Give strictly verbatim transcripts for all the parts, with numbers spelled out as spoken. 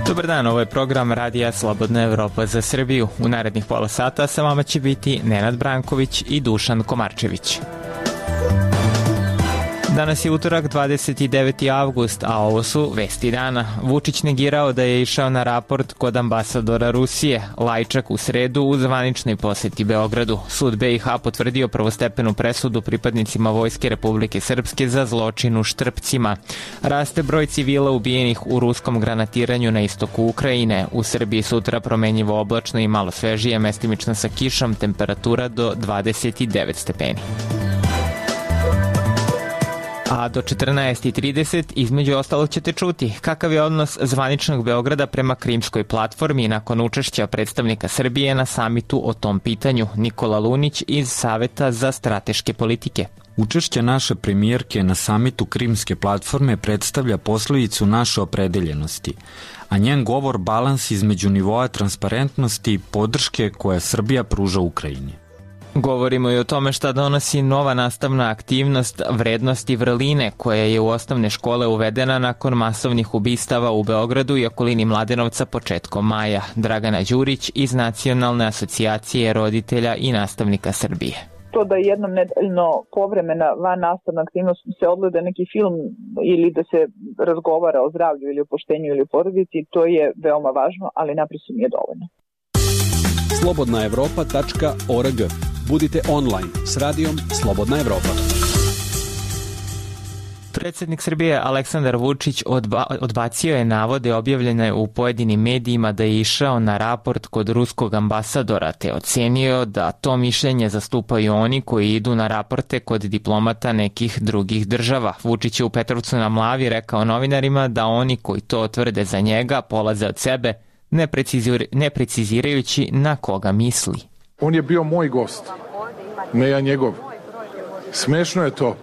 Dobar dan, ovo je program Radija Slobodna Evropa za Srbiju. U narednih pola sata sa vama će biti Nenad Branković i Dušan Komarčević. Danas je utorak, dvadeset deveti avgust, a ovo su vesti dana. Vučić negirao da je išao na raport kod ambasadora Rusije. Lajčak u sredu u zvaničnoj poseti Beogradu. Sud be i ha potvrdio prvostepenu presudu pripadnicima Vojske Republike Srpske za zločin u Štrpcima. Raste broj civila ubijenih u ruskom granatiranju na istoku Ukrajine. U Srbiji sutra promenjivo oblačno i malo svežije, mestimično sa kišom, temperatura do dvadeset devet stepeni. A do četrnaest i trideset između ostalog ćete čuti kakav je odnos zvaničnog Beograda prema Krimskoj platformi nakon učešća predstavnika Srbije na samitu o tom pitanju. Nikola Lunić iz Saveta za strateške politike. Učešće naše premijerke na samitu Krimske platforme predstavlja posledicu naše opredeljenosti, a njen govor balans između nivoa transparentnosti i podrške koje Srbija pruža Ukrajini. Govorimo i o tome šta donosi nova nastavna aktivnost vrednosti vrline koja je u osnovne škole uvedena nakon masovnih ubistava u Beogradu i okolini Mladenovca početkom maja. Dragana Đurić iz Nacionalne asocijacije roditelja i nastavnika Srbije. To da jednom nedeljno povremena van nastavna aktivnost se odgleda neki film ili da se razgovara o zdravlju ili o poštenju ili o porodici, to je veoma važno, ali naprosto nije dovoljno. slobodna evropa tačka org. Budite online s radijom Slobodna Evropa. Predsjednik Srbije Aleksandar Vučić odba, odbacio je navode objavljene u pojedinim medijima da je išao na raport kod ruskog ambasadora, te ocenio da to mišljenje zastupaju oni koji idu na raporte kod diplomata nekih drugih država. Vučić je u Petrovcu na Mlavi rekao novinarima da oni koji to tvrde za njega polaze od sebe, ne, precizir, ne precizirajući na koga misli. On je bio moj gost, ne ja njegov. Smešno je to.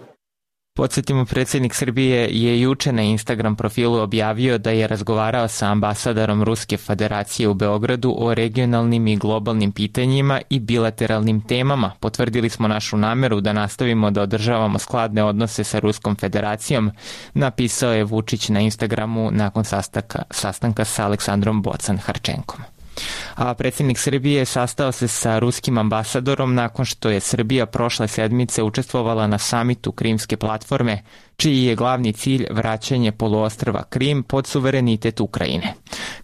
Podsjetimo, predsjednik Srbije je juče na Instagram profilu objavio da je razgovarao sa ambasadorom Ruske federacije u Beogradu o regionalnim i globalnim pitanjima i bilateralnim temama. Potvrdili smo našu nameru da nastavimo da održavamo skladne odnose sa Ruskom federacijom, napisao je Vučić na Instagramu nakon sastanka, sastanka sa Aleksandrom Bocan-Harčenkom. A predsjednik Srbije sastao se sa ruskim ambasadorom nakon što je Srbija prošle sedmice učestvovala na samitu Krimske platforme, čiji je glavni cilj vraćanje poluostrva Krim pod suverenitet Ukrajine.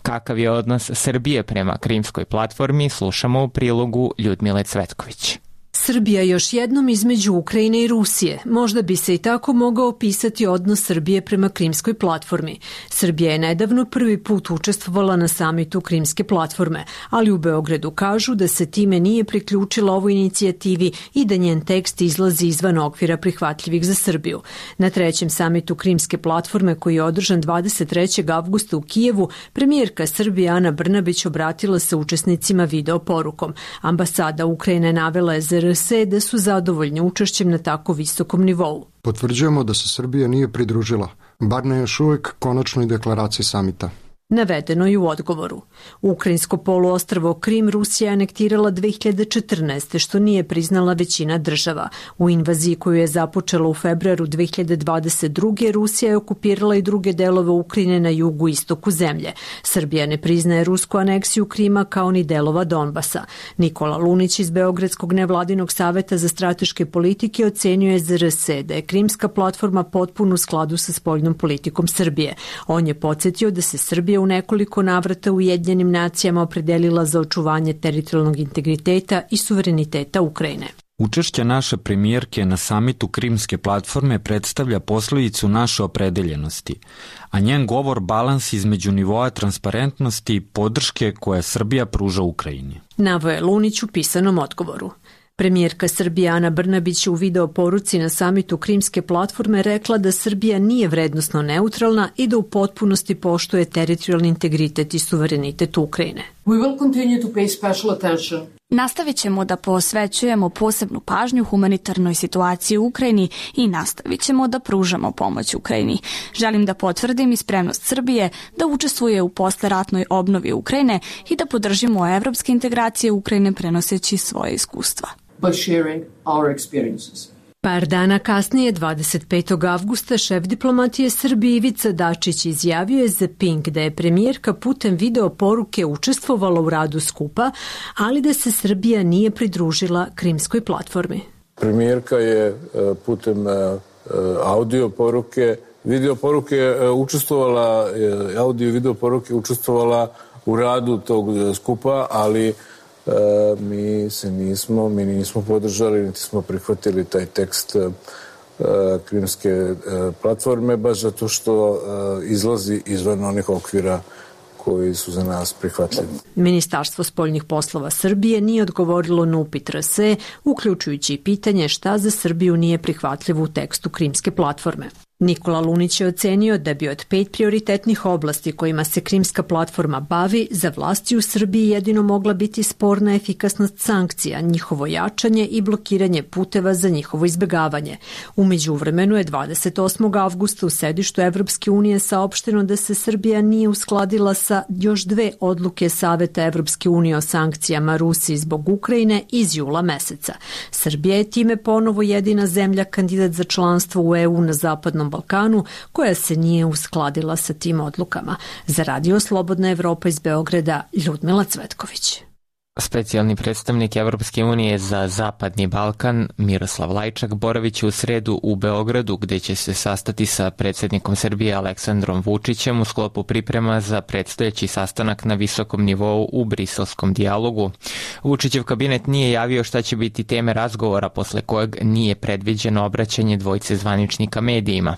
Kakav je odnos Srbije prema Krimskoj platformi, slušamo u prilogu Ljudmile Cvetković. Srbija još jednom između Ukrajine i Rusije. Možda bi se i tako mogao opisati odnos Srbije prema Krimskoj platformi. Srbija je nedavno prvi put učestvovala na samitu Krimske platforme, ali u Beogradu kažu da se time nije priključila ovoj inicijativi i da njen tekst izlazi izvan okvira prihvatljivih za Srbiju. Na trećem samitu Krimske platforme, koji je održan dvadeset trećeg avgusta u Kijevu, premijerka Srbije Ana Brnabić obratila se učesnicima video porukom. Ambasada Ukrajine navela je za R S da su zadovoljni učešćem na tako visokom nivou. Potvrđujemo da se Srbija nije pridružila, bar ne još uvijek konačnoj deklaraciji samita. Navedeno je u odgovoru. Ukrajinsko poluostrvo Krim Rusija je anektirala dve hiljade četrnaeste. što nije priznala većina država. U invaziji koju je započela u februaru dve hiljade dvadeset druge. Rusija je okupirala i druge delove Ukrajine na jugu i istoku zemlje. Srbija ne priznaje rusku aneksiju Krima kao ni delova Donbasa. Nikola Lunić iz Beogradskog nevladinog saveta za strateške politike ocenio je za R S da je Krimska platforma potpuno u skladu sa spoljnom politikom Srbije. On je podsjetio da se Srbija u nekoliko navrata u Ujedinjenim nacijama opredelila za očuvanje teritorijalnog integriteta i suvereniteta Ukrajine. Učešće naše premijerke na samitu Krimske platforme predstavlja posledicu naše opredeljenosti, a njen govor balans između nivoa transparentnosti i podrške koje Srbija pruža Ukrajini. Naveo je Lunić u pisanom odgovoru. Premijerka Srbije Ana Brnabić u video poruci na samitu Krimske platforme rekla da Srbija nije vrednosno neutralna i da u potpunosti poštuje teritorijalni integritet i suverenitet Ukrajine. We will continue to pay special attention. Nastavit ćemo da posvećujemo posebnu pažnju humanitarnoj situaciji u Ukrajini i nastavit ćemo da pružamo pomoć Ukrajini. Želim da potvrdim i spremnost Srbije da učestvuje u posleratnoj obnovi Ukrajine i da podržimo evropske integracije Ukrajine prenoseći svoje iskustva. by sharing our experiences. Par dana kasnije, dvadeset petog avgusta, šef diplomatije Srbije Ivica Dačić izjavio je za Pink da je premijerka putem video poruke učestvovala u radu skupa, ali da se Srbija nije pridružila Krimskoj platformi. Premijerka je putem audio poruke, video poruke učestvovala, audio i video poruke učestvovala u radu tog skupa, ali Uh, mi se nismo, mi nismo podržali, niti smo prihvatili taj tekst uh, Krimske uh, platforme, baš zato što uh, izlazi izvan onih okvira koji su za nas prihvatljivi. Ministarstvo spoljnih poslova Srbije nije odgovorilo na upit R S E, uključujući i pitanje šta za Srbiju nije prihvatljivo u tekstu Krimske platforme. Nikola Lunić je ocenio da bi od pet prioritetnih oblasti kojima se Krimska platforma bavi, za vlasti u Srbiji jedino mogla biti sporna efikasnost sankcija, njihovo jačanje i blokiranje puteva za njihovo izbegavanje. U međuvremenu je dvadeset osmog avgusta u sedištu Evropske unije saopšteno da se Srbija nije uskladila sa još dve odluke Saveta Evropske unije o sankcijama Rusiji zbog Ukrajine iz jula meseca. Srbija je time ponovo jedina zemlja kandidat za članstvo u E U na zapadnom Balkanu koja se nije uskladila sa tim odlukama. Za Radio Slobodna Evropa iz Beograda, Ljudmila Cvetković. Specijalni predstavnik Evropske unije za Zapadni Balkan Miroslav Lajčak boraviće u sredu u Beogradu, gde će se sastati sa predsjednikom Srbije Aleksandrom Vučićem u sklopu priprema za predstojeći sastanak na visokom nivou u briselskom dijalogu. Vučićev kabinet nije javio šta će biti teme razgovora, posle kojeg nije predviđeno obraćanje dvojice zvaničnika medijima.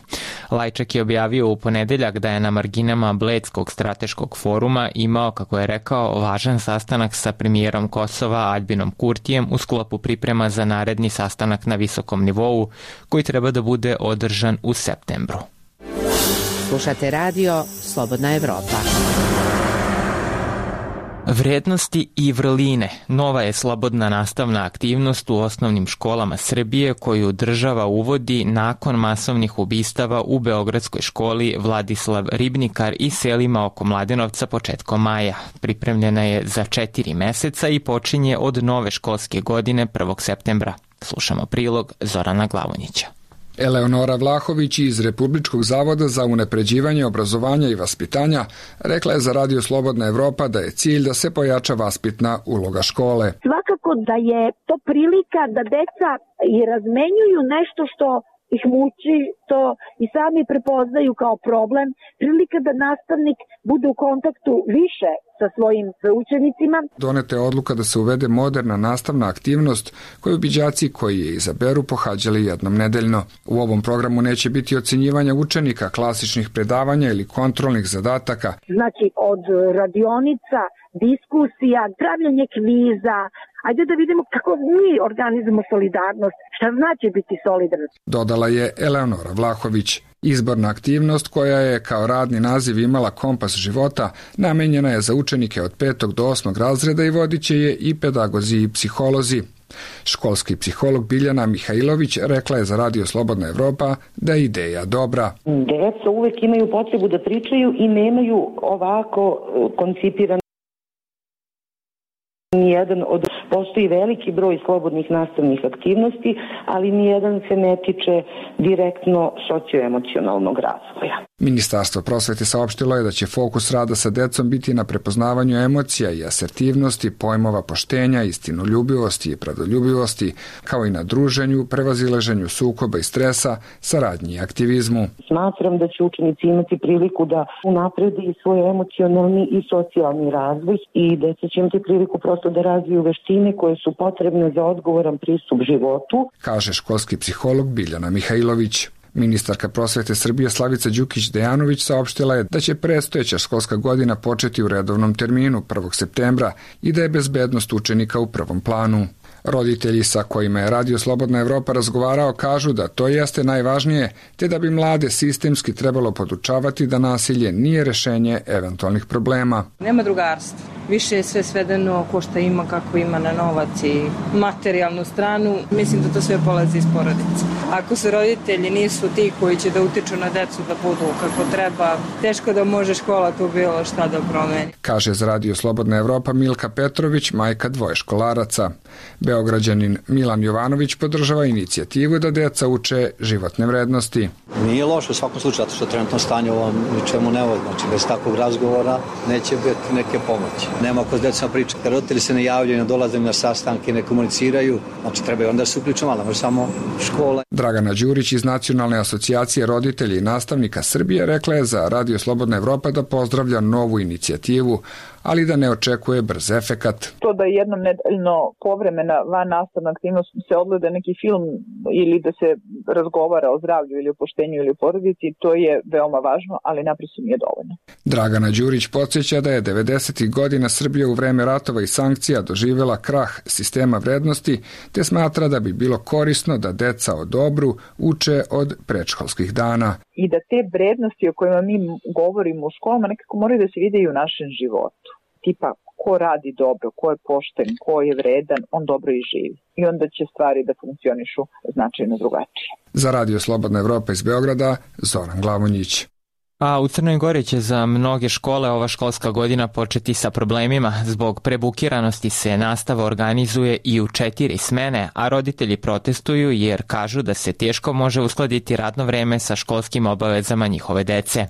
Lajčak je objavio u ponedeljak da je na marginama Bledskog strateškog foruma imao, kako je rekao, važan sastanak sa premijerom Kosova Aljbinom Kurtijem u sklopu priprema za naredni sastanak na visokom nivou koji treba da bude održan u septembru. Slušate radio Slobodna Evropa. Vrednosti i vrline. Nova je slobodna nastavna aktivnost u osnovnim školama Srbije koju država uvodi nakon masovnih ubistava u beogradskoj školi Vladislav Ribnikar i selima oko Mladenovca početkom maja. Pripremljena je za četiri meseca i počinje od nove školske godine prvog septembra. Slušamo prilog Zorana Glavonjića. Eleonora Vlahović iz Republičkog zavoda za unapređivanje obrazovanja i vaspitanja rekla je za Radio Slobodna Evropa da je cilj da se pojača vaspitna uloga škole. Svakako da je to prilika da deca i razmenjuju nešto što ih muči, to i sami prepoznaju kao problem, prilika da nastavnik bude u kontaktu više sa svojim učenicima. Doneta je odluka da se uvede moderna nastavna aktivnost koju bi đaci koji je izaberu pohađali jednom nedeljno. U ovom programu neće biti ocenjivanja učenika, klasičnih predavanja ili kontrolnih zadataka. Znači od radionica, diskusija, pravljanje kviza, ajde da vidimo kako mi organizujemo solidarnost, šta znači biti solidarnost. Dodala je Eleonora Vlahović. Izborna aktivnost koja je kao radni naziv imala Kompas života namenjena je za učenike od petog do osmog razreda i vodit će je i pedagozi i psiholozi. Školski psiholog Biljana Mihajlović rekla je za Radio Slobodna Evropa da je ideja dobra. Deca uvek imaju potrebu da pričaju i nemaju ovako koncipiran nijedan od, postoji veliki broj slobodnih nastavnih aktivnosti, ali nijedan se ne tiče direktno socioemocionalnog razvoja. Ministarstvo prosvete saopštilo je da će fokus rada sa decom biti na prepoznavanju emocija i asertivnosti, pojmova poštenja, istinoljubivosti i pravdoljubivosti, kao i na druženju, prevazilaženju sukoba i stresa, saradnji i aktivizmu. Smatram da će učenici imati priliku da unapredi svoj emocionalni i socijalni razvoj i deca će imati priliku prosto da razviju veštine koje su potrebne za odgovoran pristup životu, kaže školski psiholog Biljana Mihajlović. Ministarka prosvete Srbije Slavica Đukić-Dejanović saopštila je da će predstojeća školska godina početi u redovnom terminu prvog septembra i da je bezbednost učenika u prvom planu. Roditelji sa kojima je Radio Slobodna Evropa razgovarao kažu da to jeste najvažnije, te da bi mlade sistemski trebalo podučavati da nasilje nije rešenje eventualnih problema. Nema drugarstva. Više je sve svedeno ko šta ima, kako ima na novac i materijalnu stranu. Mislim da to sve polazi iz porodice. Ako su roditelji nisu ti koji će da utiču na decu da budu kako treba, teško da može škola tu bilo šta da promeni. Kaže za Radio Slobodna Evropa Milka Petrović, majka dvoje školaraca. Beograđanin Milan Jovanović podržava inicijativu da deca uče životne vrednosti. Nije loše u svakom slučaju, zato što trenutno stanje ovom ničemu ne vodi. Znači, bez takvog razgovora neće biti neke pomoći. Nema ko s decom priča. Kad roditelji se ne javljaju, ne dolaze na sastanke, ne komuniciraju, znači treba onda se uključiti malo, može samo škola. Dragana Đurić iz Nacionalne asocijacije roditelja i nastavnika Srbije rekla je za Radio Slobodna Evropa da pozdravlja novu inicijativu, ali da ne očekuje brz efekat. To da jednom nedeljno povremena van nastavna aktivnost se odgleda neki film ili da se razgovara o zdravlju ili o poštenju ili o porodici, to je veoma važno, ali naprosto nije dovoljno. Dragana Đurić podsjeća da je devedesetih godina Srbija u vreme ratova i sankcija doživjela krah sistema vrednosti, te smatra da bi bilo korisno da deca o dobru uče od predškolskih dana. I da te vrednosti o kojima mi govorimo u školama nekako moraju da se vide i u našem životu. Tipa, ko radi dobro, ko je pošten, ko je vredan, on dobro i živi. I onda će stvari da funkcionišu značajno drugačije. Za Radio Slobodna Evropa iz Beograda, Zoran Glavonjić. A u Crnoj Gori će za mnoge škole ova školska godina početi sa problemima. Zbog prebukiranosti se nastava organizuje i u četiri smene, a roditelji protestuju jer kažu da se teško može uskladiti radno vreme sa školskim obavezama njihove dece.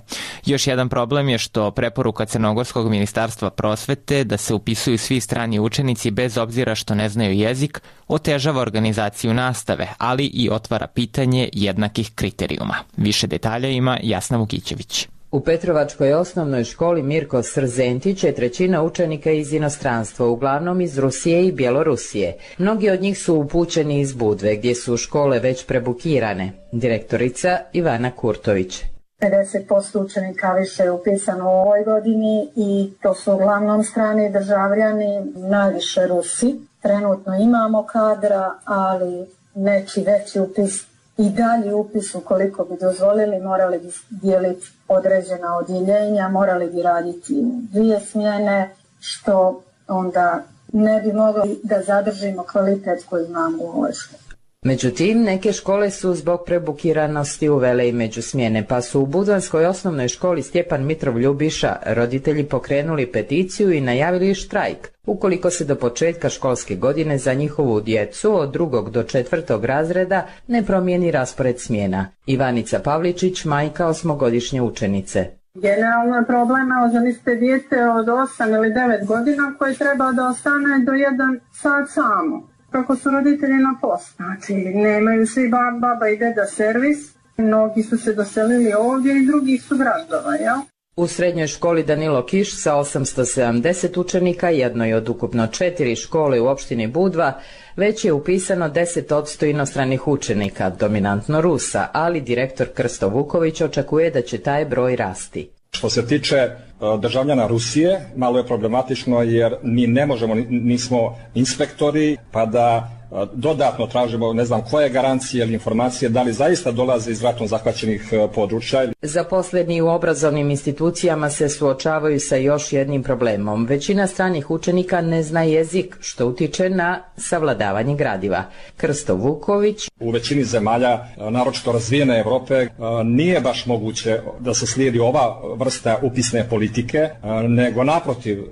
Još jedan problem je što preporuka Crnogorskog ministarstva prosvete da se upisuju svi strani učenici bez obzira što ne znaju jezik, otežava organizaciju nastave, ali i otvara pitanje jednakih kriterijuma. Više detalja ima Jasna Vukićević. U Petrovačkoj osnovnoj školi Mirko Srzentić je trećina učenika iz inostranstva, uglavnom iz Rusije i Bjelorusije. Mnogi od njih su upućeni iz Budve, gdje su škole već prebukirane. Direktorica Ivana Kurtović. pedeset posto učenika više je upisano u ovoj godini i to su uglavnom strani državljani, najviše Rusi. Trenutno imamo kadra, ali neki veći upis i dalje upis, ukoliko bi dozvolili, morali bi dijeliti određena odjeljenja, morali bi raditi dvije smjene, što onda ne bi mogli da zadržimo kvalitet koji imamo u ovoj školi. Međutim, neke škole su zbog prebukiranosti uvele i međusmjene, pa su u Budvanskoj osnovnoj školi Stjepan Mitrov Ljubiša roditelji pokrenuli peticiju i najavili štrajk, ukoliko se do početka školske godine za njihovu djecu od drugog do četvrtog razreda ne promijeni raspored smjena. Ivanica Pavličić, majka osmogodišnje učenice. Generalno je problema, zamislite dijete od osam ili devet godina koje treba da ostane do jedan sat samo. Kako su roditelji na poslu. Znači, nemaju svi baba i deda servis, mnogi su se doselili ovdje i drugih su gradova, jel? U srednjoj školi Danilo Kiš sa osamsto sedamdeset učenika, jednoj od ukupno četiri škole u opštini Budva, već je upisano deset posto inostranih učenika, dominantno Rusa, ali direktor Krsto Vuković očekuje da će taj broj rasti. Što se tiče državljana Rusije, malo je problematično jer mi ne možemo, nismo inspektori, pa da dodatno tražimo, ne znam, koje garancije ili informacije, da li zaista dolaze iz ratom zahvaćenih područja. Zaposleni u obrazovnim institucijama se suočavaju sa još jednim problemom. Većina stranih učenika ne zna jezik, što utiče na savladavanje gradiva. Krsto Vuković. U većini zemalja, naročito razvijene Evrope, nije baš moguće da se slijedi ova vrsta upisne politike, nego naprotiv,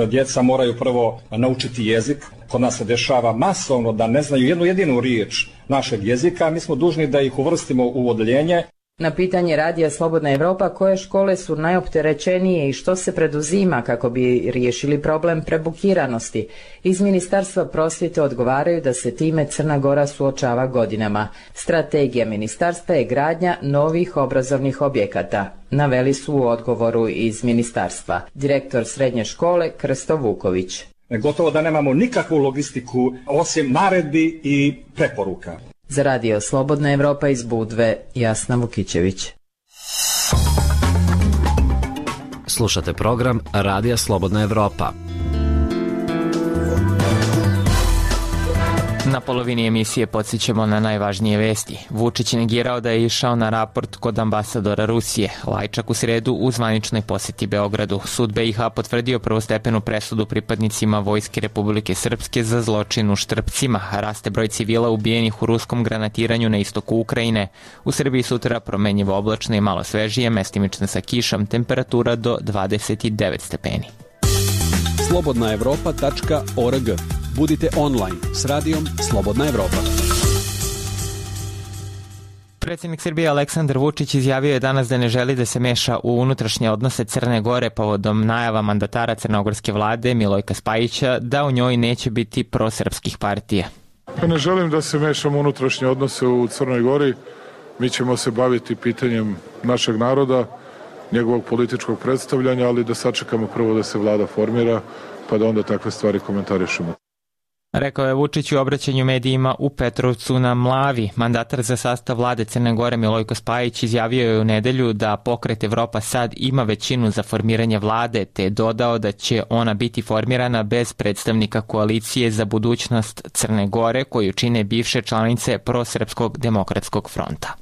djeca moraju prvo naučiti jezik. Kod nas se dešava masovno da ne znaju jednu jedinu riječ našeg jezika, mi smo dužni da ih uvrstimo u odeljenje. Na pitanje Radija Slobodna Evropa koje škole su najopterećenije i što se preduzima kako bi riješili problem prebukiranosti, iz Ministarstva prosvjete odgovaraju da se time Crna Gora suočava godinama. Strategija ministarstva je gradnja novih obrazovnih objekata, naveli su u odgovoru iz ministarstva. Direktor srednje škole Krsto Vuković. Gotovo da nemamo nikakvu logistiku osim naredbi i preporuka. Za Radio Slobodna Evropa iz Budve, Jasna Vukićević. Slušate program Radija Slobodna Evropa. Na polovini emisije podsjećamo na najvažnije vesti. Vučić je negirao da je išao na raport kod ambasadora Rusije. Lajčak u sredu u zvaničnoj poseti Beogradu. Sud B i H potvrdio prvostepenu presudu pripadnicima Vojske Republike Srpske za zločin u Štrpcima. Raste broj civila ubijenih u ruskom granatiranju na istoku Ukrajine. U Srbiji sutra promenjivo oblačno i malo svežije, mestimično sa kišom, temperatura do dvadeset devet stepeni. slobodna evropa tačka org. Budite online s radijom Slobodna Evropa. Predsjednik Srbije Aleksandar Vučić izjavio je danas da ne želi da se meša u unutrašnje odnose Crne Gore povodom najava mandatara crnogorske vlade Milojka Spajića da u njoj neće biti prosrpskih partija. Ne želim da se mešam u unutrašnje odnose u Crnoj Gori. Mi ćemo se baviti pitanjem našeg naroda, njegovog političkog predstavljanja, ali da sačekamo prvo da se vlada formira, pa da onda takve stvari komentarišemo. Rekao je Vučić u obraćanju medijima u Petrovcu na Mlavi. Mandatar za sastav vlade Crne Gore Milojko Spajić izjavio je u nedelju da pokret Evropa sad ima većinu za formiranje vlade, te je dodao da će ona biti formirana bez predstavnika koalicije za budućnost Crne Gore koju čine bivše članice Prosrpskog demokratskog fronta.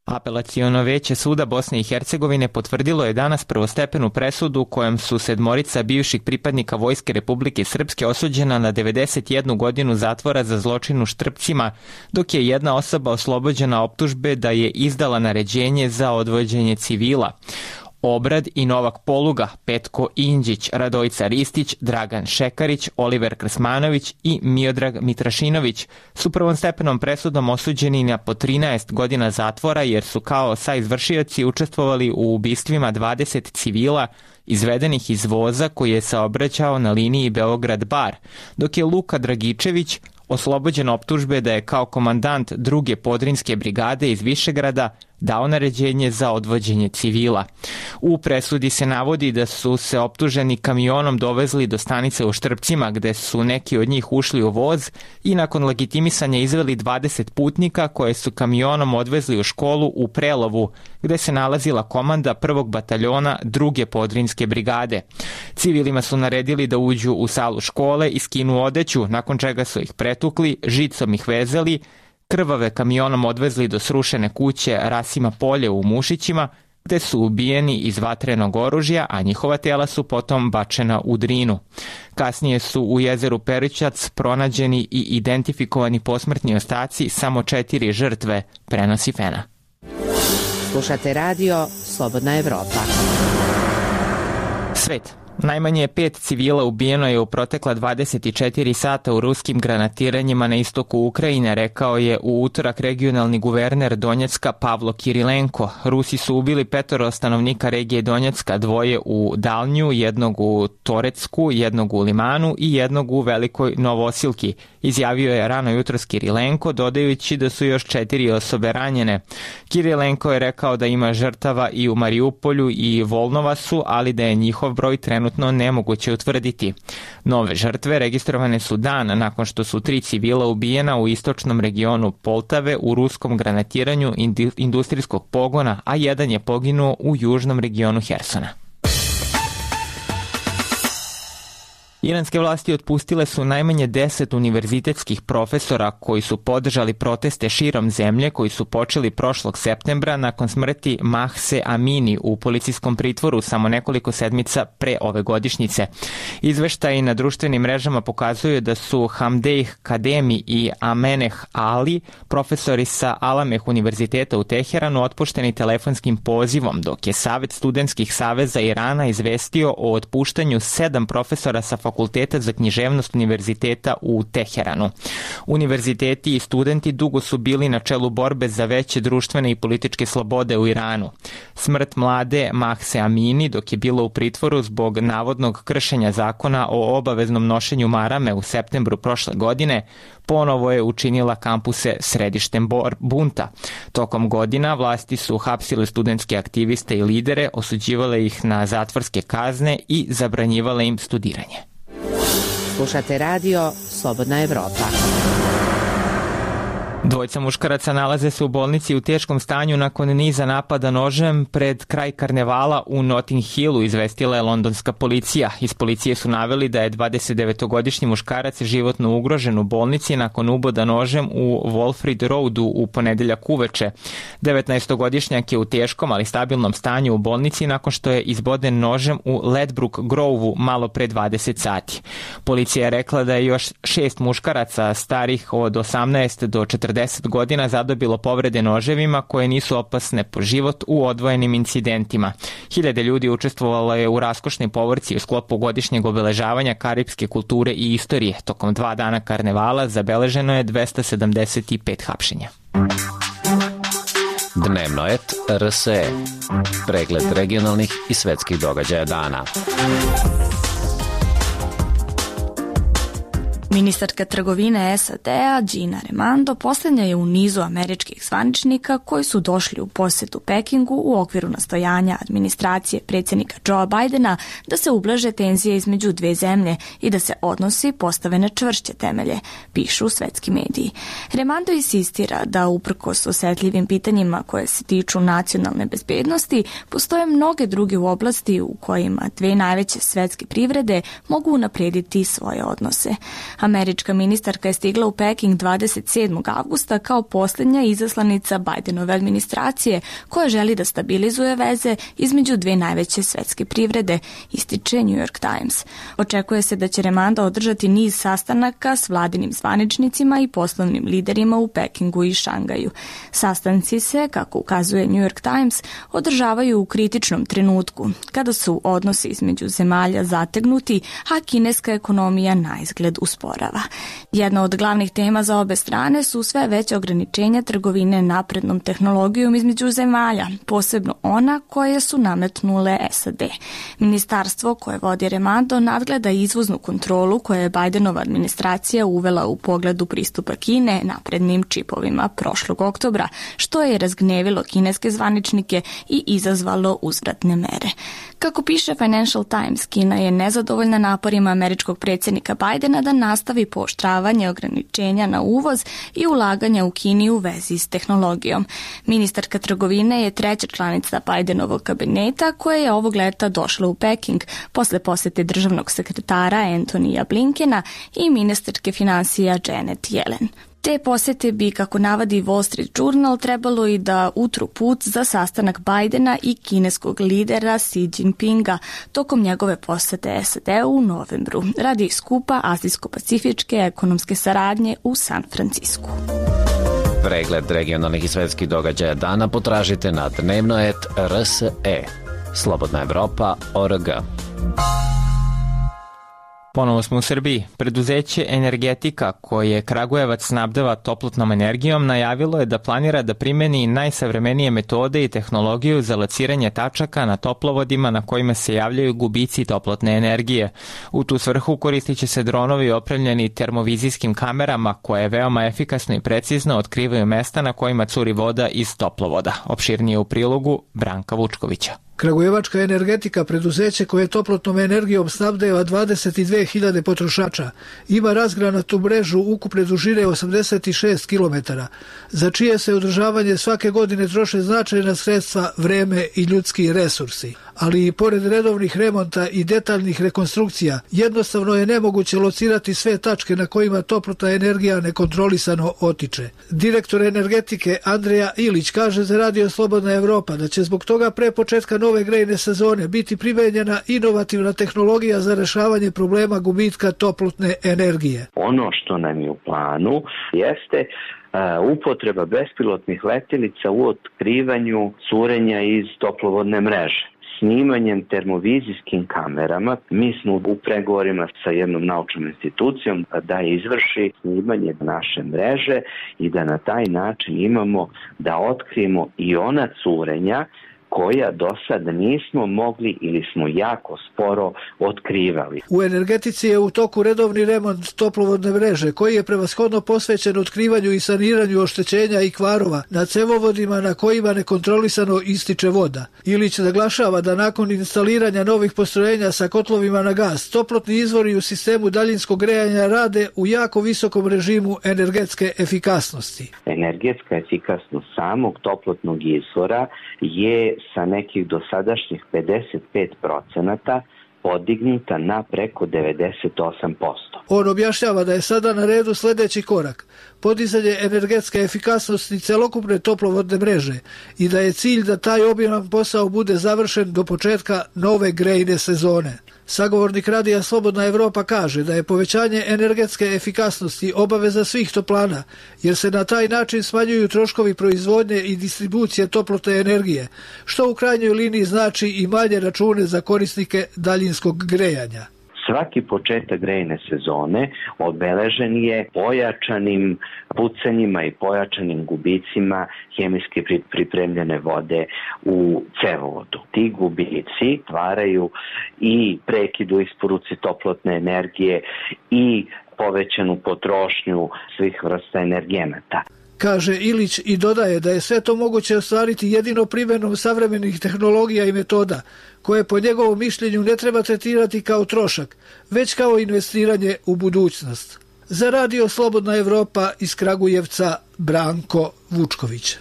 Apelaciono veće suda Bosne i Hercegovine potvrdilo je danas prvostepenu presudu kojom su sedmorica bivših pripadnika Vojske Republike Srpske osuđena na devedeset jednu godinu zatvora za zločin u Štrpcima, dok je jedna osoba oslobođena optužbe da je izdala naređenje za odvođenje civila. Obrad i Novak Poluga, Petko Inđić, Radojica Ristić, Dragan Šekarić, Oliver Krsmanović i Miodrag Mitrašinović su prvostepenom presudom osuđeni na po trinaest godina zatvora jer su kao saizvršioci učestvovali u ubistvima dvadeset civila izvedenih iz voza koji je saobraćao na liniji Beograd-Bar, dok je Luka Dragičević oslobođen optužbe da je kao komandant druge podrinske brigade iz Višegrada dao naređenje za odvođenje civila. U presudi se navodi da su se optuženi kamionom dovezli do stanice u Štrpcima gde su neki od njih ušli u voz i nakon legitimisanja izveli dvadeset putnika koje su kamionom odvezli u školu u Prelovu gde se nalazila komanda prvog bataljona druge podrinske brigade. Civilima su naredili da uđu u salu škole i skinu odeću, nakon čega su ih pretukli, žicom ih vezali, krvave kamionom odvezli do srušene kuće Rasima Polje u Mušićima, gde su ubijeni iz vatrenog oružja, a njihova tela su potom bačena u Drinu. Kasnije su u jezeru Perićac pronađeni i identifikovani posmrtni ostaci samo četiri žrtve, prenosi Fena. Slušate radio Slobodna Evropa. Svet. Najmanje pet civila ubijeno je u protekla dvadeset četiri sata u ruskim granatiranjima na istoku Ukrajine, rekao je u utorak regionalni guverner Donjecka Pavlo Kirilenko. Rusi su ubili petoro stanovnika regije Donjecka, dvoje u Dalnju, jednog u Torecku, jednog u Limanu i jednog u Velikoj Novosilki, izjavio je rano jutros Kirilenko, dodajući da su još četiri osobe ranjene. Kirilenko je rekao da ima žrtava i u Mariupolju i Volnovasu, ali da je njihov broj trenutno nemoguće utvrditi. Nove žrtve registrovane su dan nakon što su tri civila ubijena u istočnom regionu Poltave u ruskom granatiranju industrijskog pogona, a jedan je poginuo u južnom regionu Hersona. Iranske vlasti otpustile su najmanje deset univerzitetskih profesora koji su podržali proteste širom zemlje koji su počeli prošlog septembra nakon smrti Mahse Amini u policijskom pritvoru samo nekoliko sedmica pre ove godišnjice. Izveštaji na društvenim mrežama pokazuju da su Hamdeih Kademi i Ameneh Ali, profesori sa Alameh univerziteta u Teheranu, otpušteni telefonskim pozivom, dok je Savet studentskih saveza Irana izvestio o otpuštanju sedam profesora sa Fakulteta za književnost univerziteta u Teheranu. Univerziteti i studenti dugo su bili na čelu borbe za veće društvene i političke slobode u Iranu. Smrt mlade Mahse Amini, dok je bila u pritvoru zbog navodnog kršenja zakona o obaveznom nošenju marame u septembru prošle godine, ponovo je učinila kampuse središtem bunta. Tokom godina vlasti su hapsile studentske aktiviste i lidere, osuđivale ih na zatvorske kazne i zabranjivale im studiranje. Slušate radio Slobodna Evropa. Dvojica muškaraca nalaze se u bolnici u teškom stanju nakon niza napada nožem pred kraj karnevala u Notting Hillu, izvestila je londonska policija. Iz policije su naveli da je dvadesetdevetogodišnji muškarac životno ugrožen u bolnici nakon uboda nožem u Walfrid Roadu u ponedeljak uveče. devetnaestogodišnjak je u teškom, ali stabilnom stanju u bolnici nakon što je izboden nožem u Ledbrook Grove-u malo pre dvadeset sati. Policija je rekla da je još šest muškaraca starih od osamnaest do četrdeset godina zadobilo povrede noževima koje nisu opasne po život u odvojenim incidentima. Hiljade ljudi učestvovalo je u raskošnoj povorci u sklopu godišnjeg obeležavanja karipske kulture i istorije. Tokom dva dana karnevala zabeleženo je dvesta sedamdeset pet hapšenja. Dnevno et R S E. Pregled regionalnih i svetskih događaja dana. Ministarka trgovine S A D-a Gina Raimondo poslednja je u nizu američkih zvaničnika koji su došli u posetu Pekingu u okviru nastojanja administracije predsjednika Joea Bidena da se ublaže tenzije između dve zemlje i da se odnosi postave na čvršće temelje, pišu svetski mediji. Raimondo insistira da uprkos osetljivim pitanjima koje se tiču nacionalne bezbednosti, postoje mnoge druge u oblasti u kojima dve najveće svetske privrede mogu unaprediti svoje odnose. Američka ministarka je stigla u Peking dvadeset sedmog avgusta kao posljednja izaslanica Bidenove administracije koja želi da stabilizuje veze između dve najveće svetske privrede, ističe New York Times. Očekuje se da će Raimondo održati niz sastanaka s vladinim zvaničnicima i poslovnim liderima u Pekingu i Šangaju. Sastanci se, kako ukazuje New York Times, održavaju u kritičnom trenutku, kada su odnosi između zemalja zategnuti, a kineska ekonomija naizgled usporava. Jedna od glavnih tema za obe strane su sve veće ograničenja trgovine naprednom tehnologijom između zemalja, posebno ona koje su nametnule S A D. Ministarstvo koje vodi Raimondo nadgleda izvoznu kontrolu koje je Bidenova administracija uvela u pogledu pristupa Kine naprednim čipovima prošlog oktobra, što je razgnevilo kineske zvaničnike i izazvalo uzvratne mere. Kako piše Financial Times, Kina je nezadovoljna naporima američkog predsjednika Bidena da nastavi pooštravanje ograničenja na uvoz i ulaganja u Kini u vezi s tehnologijom. Ministarka trgovine je treća članica Bidenovog kabineta koja je ovog leta došla u Peking posle posete državnog sekretara Antonija Blinkena i ministarke finansija Janet Yellen. Te posete bi, kako navadi Wall Street Journal, trebalo i da utru put za sastanak Bidena i kineskog lidera Xi Jinpinga tokom njegove posete S A D u novembru radi skupa Azijsko-pacifičke ekonomske saradnje u San Francisku. Pregled regionalnih i svetskih događaja dana potražite na dnevno et R S E. Slobodna Evropa O R G. Ponovo smo u Srbiji. Preduzeće Energetika, koje Kragujevac snabdeva toplotnom energijom, najavilo je da planira da primeni najsavremenije metode i tehnologiju za lociranje tačaka na toplovodima na kojima se javljaju gubici toplotne energije. U tu svrhu koristit će se dronovi opremljeni termovizijskim kamerama koje veoma efikasno i precizno otkrivaju mesta na kojima curi voda iz toplovoda. Opširnije u prilogu Branka Vučkovića. Kragujevačka Energetika, preduzeće koje toplotnom energijom snabdeva dvadeset dve hiljade potrošača, ima razgranatu mrežu ukupne dužine osamdeset šest kilometara, za čije se održavanje svake godine troše značajna sredstva, vreme i ljudski resursi. Ali i pored redovnih remonta i detaljnih rekonstrukcija, jednostavno je nemoguće locirati sve tačke na kojima toplotna energija nekontrolisano otiče. Direktor Energetike Andreja Ilić kaže za Radio Slobodna Evropa da će zbog toga pre početka nove grejne sezone biti primenjena inovativna tehnologija za rešavanje problema gubitka toplotne energije. Ono što nam je u planu jeste uh, upotreba bespilotnih letelica u otkrivanju curenja iz toplovodne mreže. Snimanjem termovizijskim kamerama mi smo u pregovorima sa jednom naučnom institucijom da izvrši snimanje naše mreže i da na taj način imamo da otkrijemo i ona curenja koja do sad nismo mogli ili smo jako sporo otkrivali. U energetici je u toku redovni remont toplovodne mreže koji je prevashodno posvećen otkrivanju i saniranju oštećenja i kvarova na cevovodima na kojima nekontrolisano ističe voda. Ilić naglašava da nakon instaliranja novih postrojenja sa kotlovima na gas, toplotni izvori u sistemu daljinskog grejanja rade u jako visokom režimu energetske efikasnosti. Energetska efikasnost samog toplotnog izvora je sa nekih dosadašnjih pedeset pet procenata podignuta na preko devedeset osam posto. On objašnjava da je sada na redu sljedeći korak, podizanje energetske efikasnosti celokupne toplovodne mreže i da je cilj da taj obiman posao bude završen do početka nove grejne sezone. Sagovornik Radija Slobodna Evropa kaže da je povećanje energetske efikasnosti obaveza svih toplana, jer se na taj način smanjuju troškovi proizvodnje i distribucije toplotne energije, što u krajnjoj liniji znači i manje račune za korisnike daljinskog grejanja. Svaki početak grejne sezone obeležen je pojačanim pucanjima i pojačanim gubicima hemijski pripremljene vode u cevovodu. Ti gubici stvaraju i prekid u isporuci toplotne energije i povećanu potrošnju svih vrsta energenata. Kaže Ilić i dodaje da je sve to moguće ostvariti jedino primjenom savremenih tehnologija i metoda, koje po njegovom mišljenju ne treba tretirati kao trošak, već kao investiranje u budućnost. Za Radio Slobodna Evropa iz Kragujevca, Branko Vučković.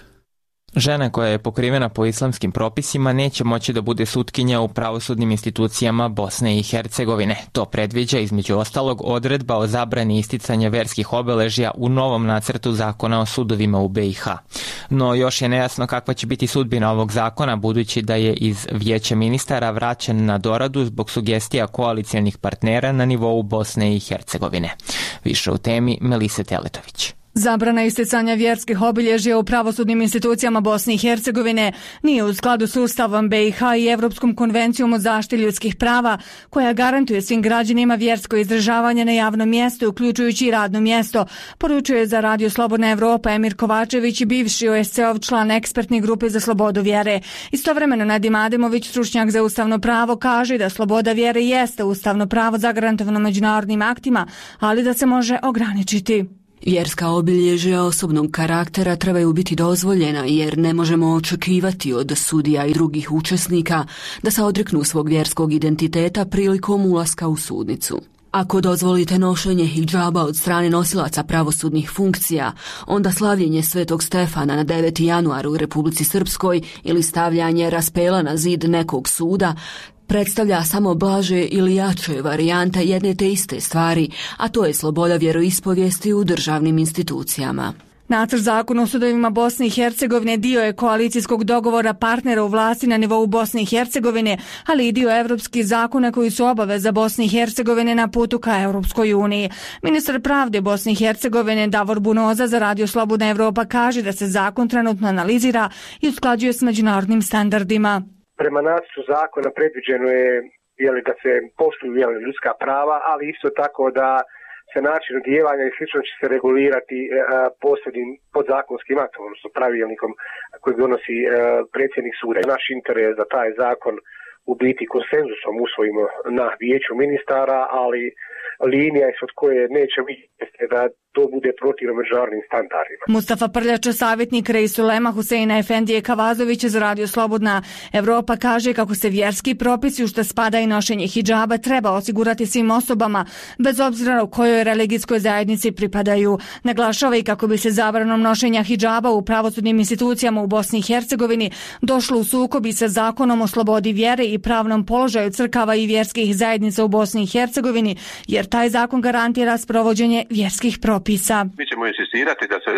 Žena koja je pokrivena po islamskim propisima neće moći da bude sutkinja u pravosudnim institucijama Bosne i Hercegovine. To predviđa između ostalog odredba o zabrani isticanja verskih obeležja u novom nacrtu zakona o sudovima u B i H. No još je nejasno kakva će biti sudbina ovog zakona, budući da je iz Vijeća ministara vraćen na doradu zbog sugestija koalicijalnih partnera na nivou Bosne i Hercegovine. Više u temi Melise Teletović. Zabrana isticanja vjerskih obilježja u pravosudnim institucijama Bosne i Hercegovine nije u skladu s Ustavom B i H i Evropskom konvencijom o zaštiti ljudskih prava, koja garantuje svim građanima vjersko izdržavanje na javnom mjestu, uključujući i radno mjesto, poručuje za Radio Slobodna Evropa Emir Kovačević, bivši O S C-ov član ekspertne grupe za slobodu vjere. Istovremeno Nadim Ademović, stručnjak za ustavno pravo, kaže da sloboda vjere jeste ustavno pravo zagarantovano međunarodnim aktima, ali da se može ograničiti. Vjerska obilježja osobnog karaktera trebaju biti dozvoljena, jer ne možemo očekivati od sudija i drugih učesnika da se odreknu svog vjerskog identiteta prilikom ulaska u sudnicu. Ako dozvolite nošenje hidžaba od strane nosilaca pravosudnih funkcija, onda slavljenje Svetog Stefana na deveti januar u Republici Srpskoj ili stavljanje raspela na zid nekog suda predstavlja samo blaže ili jače varijante jedne te iste stvari, a to je sloboda vjeroispovijesti u državnim institucijama. Nacrt zakona o sudovima Bosne i Hercegovine dio je koalicijskog dogovora partnera u vlasti na nivou Bosne i Hercegovine, ali i dio evropskih zakona koji su obaveza Bosne i Hercegovine na putu ka Europskoj uniji. Ministar pravde Bosne i Hercegovine Davor Bunoza za Radio Slobodna Evropa kaže da se zakon trenutno analizira i usklađuje s međunarodnim standardima. Prema nacrtu zakona predviđeno je jeli, da se poštuju jeli, ljudska prava, ali isto tako da se način odjevanja i slično će se regulirati e, posebnim podzakonskim aktom, odnosno pravilnikom koji donosi e, predsjednik suda. Naš interes da taj zakon u biti konsenzusom usvojimo na vijeću ministara, ali linija ispod koje neće vidjeti da to bude protivno međunarodnim standardima. Mustafa Prljača, savjetnik Reisulema Huseina Efendije Kavazovića za Radio Slobodna Evropa, kaže kako se vjerski propisi u što spada i nošenje hidžaba treba osigurati svim osobama, bez obzira u kojoj religijskoj zajednici pripadaju. Naglašava i kako bi se zabranom nošenja hidžaba u pravosudnim institucijama u Bosni i Hercegovini došlo u sukobi sa zakonom o slobodi vjere i pravnom položaju crkava i vjerskih zajednica u Bosni i Hercegovini, jer taj zakon garantira sprovođenje vjerskih propisa. Mi ćemo insistirati da se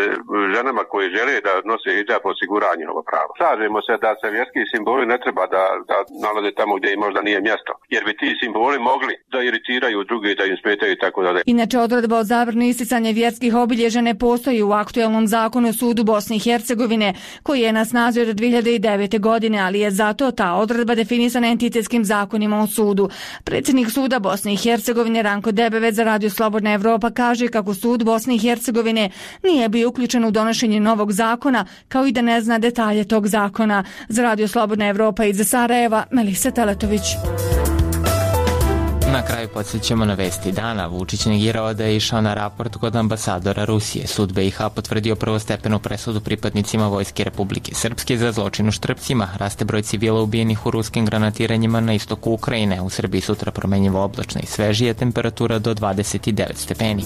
ženama koje žele da nose hidžab osigura njihovo pravo. Slažemo se da se vjerski simboli ne treba da, da nalaze tamo gdje im možda nije mjesto, jer bi ti simboli mogli da iritiraju druge, da im smetaju i tako dalje. Inače, odredba o zabrani isticanja vjerskih obilježja ne postoji u aktuelnom zakonu o sudu Bosne i Hercegovine, koji je na snazi od dvije hiljade devete. godine, ali je zato ta odredba definisana entitetskim zakonima o sudu. Predsjednik suda Bosne i Hercegovine Ranko Debevec za Radio Slobodna Evropa kaže kako sud Bosne i Hercegovine nije bio uključen u donošenje novog zakona, kao i da ne zna detalje tog zakona. Za Radio Slobodna Evropa iz Sarajeva, Melisa Teletović. Na kraju podsjećamo na vesti dana. Vučić negirao da je išao na raport kod ambasadora Rusije. Sud B i H potvrdio prvostepenu presudu pripadnicima Vojske Republike Srpske za zločin u Štrpcima. Raste broj civila ubijenih u ruskim granatiranjima na istoku Ukrajine. U Srbiji sutra promenjivo oblačna i svežija, temperatura do dvadeset devet stepeni.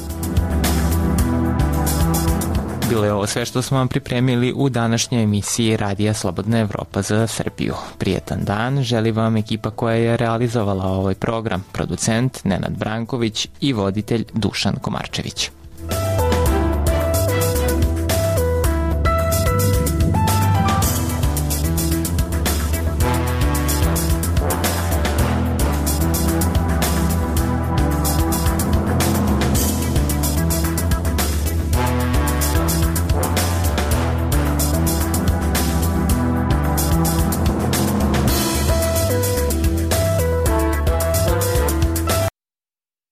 Bilo je ovo sve što smo vam pripremili u današnjoj emisiji Radija Slobodna Evropa za Srbiju. Prijetan dan želi vam ekipa koja je realizovala ovaj program, producent Nenad Branković i voditelj Dušan Komarčević.